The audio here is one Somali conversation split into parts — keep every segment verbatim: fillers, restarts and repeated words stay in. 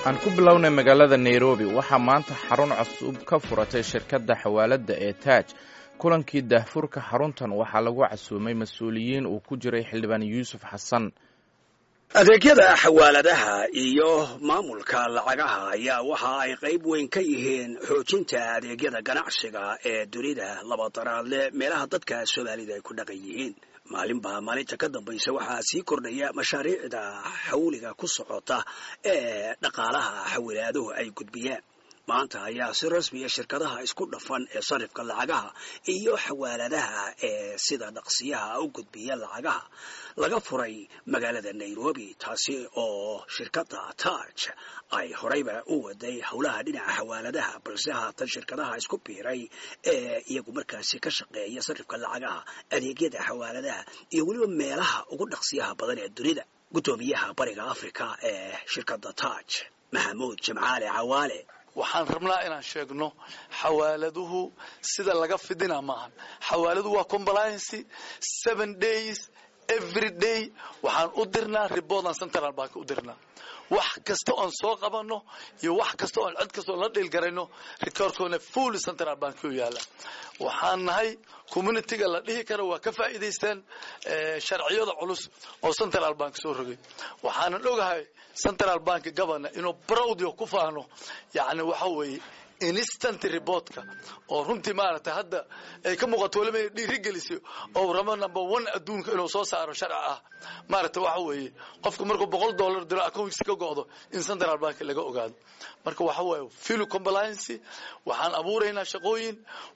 Aan ku bilownay magaalada Nairobi. Waxaa maanta xarun cusub ka furatay shirkadda xawaaladda ee Taaj. Kulankii daahfurka xaruntan waxaa lagu casuumay mas-uuliyiin uu ku jiray Xildhibaan Yuusuf Xasan. Adeegyada xawaaladaha iyo maamulka lacagaha ayaa waxa ay qayb weyn ka yihiin xoojinta adeegyada ganacsiga ee dunida labadaraadle, meelaha dadka Soomaalida ay ku dhaqan yihiin. Maalinba maalinta ka dambaysa waxaa sii kordhaya mashaariicda xawliga ku socota ee dhaqaalaha xawilaaduhu ay gudbiyaan. Maanta ayaa si rasmiya shirkadaha isku dhafan ee sarifka lacagaha iyo xawaaladaha ee sida dhaqsiyaha u gudbiya lacagaha laga furay magaalada Nairobi, taasi oo shirkadda Taaj ay horeyba u waday howlaha dhinaca xawaaladaha, balse haatan shirkadaha isku biiray ee iyagu markaasi ka shaqeeya sarifka lacagaha, adeegyada xawaaladaha iyo weliba meelaha ugu dhaqsiyaha badan ee dunida. Guddoomiyaha Bariga Africa ee shirkadda Taaj, Maxamuud Jimcaale Cawaale. Waxaan rabnaa inaan sheegno, xawaaladuhu sida laga fidina maahan. Xawaaladu waa compliance seven days, every day. Waxaan u dirnaa report aan Central Bank u dirnaa. Wax kasta oon soo qabanno iyo wax kasta oon cid kasta oon la dhiilgarayno, recordkoona full Central Bank u yaala. Waxaan nahay communityga la dhihi karo waa ka faa'iidaysteen sharciyada culus oo Central Bank soo rogay. Waxaanan ogahay Central Bank governor inuu proud ku faano, yacni waxa weeye instant reportka oo runtii maaragtay hadda ay ka muuqato, waliba inay dhiirigelisay oo rabo number one adduunka inuu soo saaro sharci ah, maaragtay waxa weeye qofku markuu boqol dollar diro, accountkiisa ka go'do, in Central Bank laga ogaado. Marka waxa weeye full compliance. Waxaan abuuraynaa shaqooyin,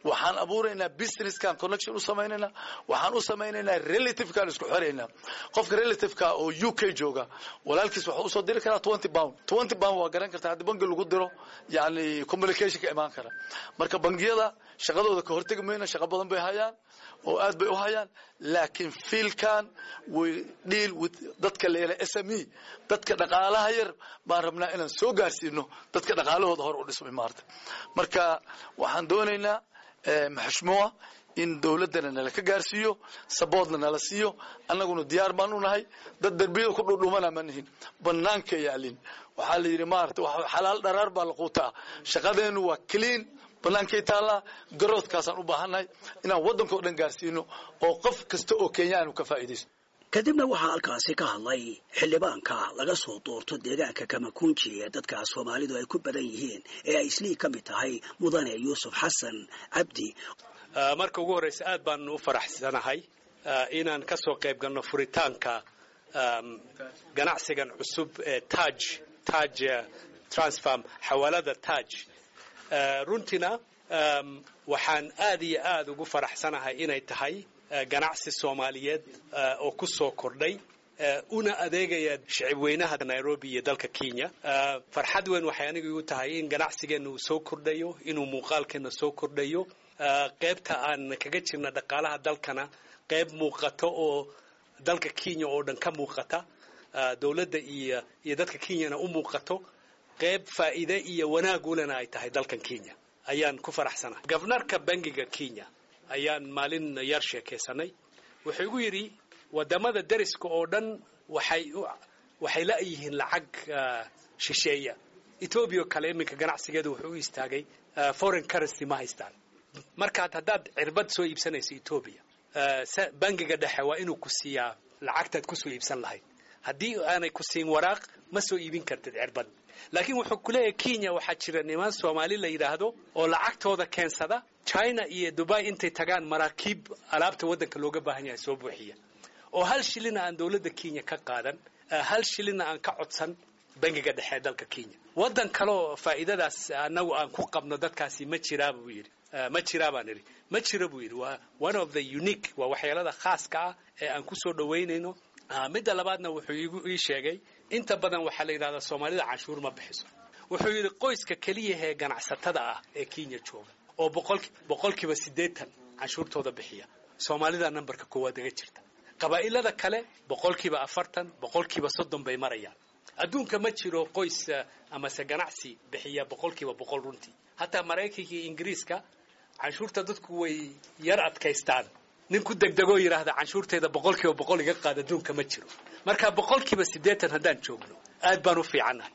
waxaan abuuraynaa businesskan connection u samaynaynaa, waxaan u samaynaynaa relativekan isku xiraynaa. Qofka relativeka oo U K jooga walaalkiis wuxuu usoo diri karaa twenty pound. Twenty pound waa garan kartaa haddii bangi lagu diro, yani communication ka imaan kara. Marka bangiyada shaqadooda ka hortegi mayno, shaqo badan bay hayaan oo aad bay u hayaan, laakiin fielkan we deal with dadka la yidhaha S M E, dadka dhaqaalaha yar baan rabnaa inaan soo gaarsiino, dadka dhaqaalahooda hor u dhismay maarta. Marka waxaan doonaynaa, maxashmuwa, in dowladdana nala ka gaarsiiyo, supportna nala siiyo. Annaguna diyaar baan u nahay. Dad darbiyada ku dhudhumana ma nihin, banaanka yaalin. Waxaa la yidhi, maarata, xalaal dharaar baa la quutaa. Shaqadeennu waa clean, bannaankay taallaa. Garoodkaasaan u baahannahay inaan waddanka o dhan gaarsiino oo qof kasta oo Kenyaanu ka faa'iidaysto. Kadibna waxaa halkaasi ka hadlay xildhibaanka laga soo doorto deegaanka Kamakunji ee dadka Soomaalidu ay ku badan yihiin ee ay Islii ka mid tahay, Mudane Yuusuf Xasan Cabdi. Marka ugu horreysa, aad baan u faraxsanahay inaan ka soo qayb galno furitaanka ganacsigan cusub ee Taj Taj Transfer, xawaalada Taj. Runtiina waxaan aad iyo aad ugu faraxsanahay inay tahay ganacsi Soomaaliyeed oo ku soo kordhay una adeegaya shicib weynaha Nairobi iyo dalka Kenya. Farxad weyn waxay aniga igu tahay in ganacsigeenna uu soo kordhayo, inuu muuqaalkeenna soo kordhayo, qaybta aan kaga jirna dhaqaalaha dalkana qayb muuqato oo dalka Kenya oo dhan ka muuqata, dowladda iyo iyo dadka Kenyana u muuqato, qayb faa'iide iyo wanaag ulena ay tahay dalkan Kenya ayaan ku faraxsanahay. Governorka bangiga Kenya ayaan maalin yar sheekaysanay. Wuxuu igu yidhi wadamada deriska oo dhan waxay waxay la'yihiin lacag shisheeya. Etoobiya oo kale iminka ganacsigeedu wuxuu u istaagay foreign currency ma haystaan. Markaad haddaad cirbad soo iibsanayso Etoobiya, bangiga dhexe waa inuu ku siiyaa lacagtaad kusoo iibsan lahayd. Haddii aanay ku siin waraaq, ma soo iibin kartid cirbad. Laakiin wuxuu ku leeyahay, Kenya waxaa jira niman Soomaali la yidhaahdo oo lacagtooda keensada, China iyo Dubai intay tagaan maraakiib alaabta waddanka looga baahan yahay soo buuxiya, oo hal shilina aan dowladda Kenya ka qaadan, hal shilina aan ka codsan bangiga dhexe ee dalka Kenya. Waddan kaleoo faa'iidadaas annagu aan ku qabno dadkaasi ma jiraa, buu yidhi. Ma jiraa, baan idhi. Ma jiro, buu yidhi. Waa one of the unique, waa waxyaalada khaaska ah ee aan ku soo dhowaynayno. Midda labaadna, wuxuu igu ii sheegay, inta badan waxaa la yidhahdaa Soomaalida canshuur ma bixiso. Wuxuu yidhi qoyska keliya ee ganacsatada ah ee Kenya jooga oo boqol boqolkiiba siddeetan canshuurtooda bixiya, Soomaalida numberka koowaad aga jirta. Qabaa'ilada kale boqolkiiba afartan, boqolkiiba soddon bay marayaan. Adduunka ma jiro qoys amase ganacsi bixiya boqolkiiba boqol runtii. Hataa Maraykanka iyo Ingiriiska canshuurta dadku way yar adkaystaan. Nin ku degdegoo yidhaahda canshuurteeda boqolkiiba boqol iga qaad, adduunka ma jiro. Marka boqolkiiba siddeetan haddaan joogno, aad baan u fiicannahay.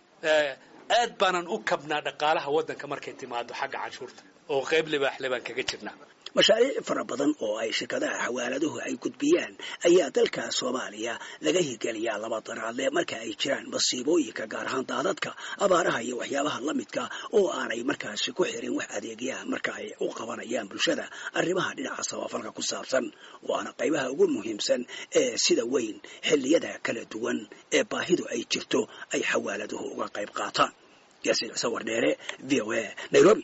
Aad baanan u kabnaa dhaqaalaha waddanka markay timaado xagga canshuurta, oo qayb libaaxle baan kaga jirnaa. Mashaariic fara badan oo ay shirkadaha xawaaladuhu ay gudbiyaan ayaa dalka Soomaaliya laga hirgeliyaa laba daraadle marka ay jiraan masiibooyinka, gaar ahaan daadadka, abaaraha iyo waxyaabaha la midka, oo aanay markaasi ku xirin wax adeegyaha marka ay u qabanayaan bulshada arrimaha dhinaca samafalka ku saabsan. Waana qaybaha ugu muhiimsan ee sida weyn xilliyada kala duwan ee baahidu ay jirto ay xawaaladuhu uga qayb qaataan. Yaasiin Ciise Wardheere, V O A, Nairobi.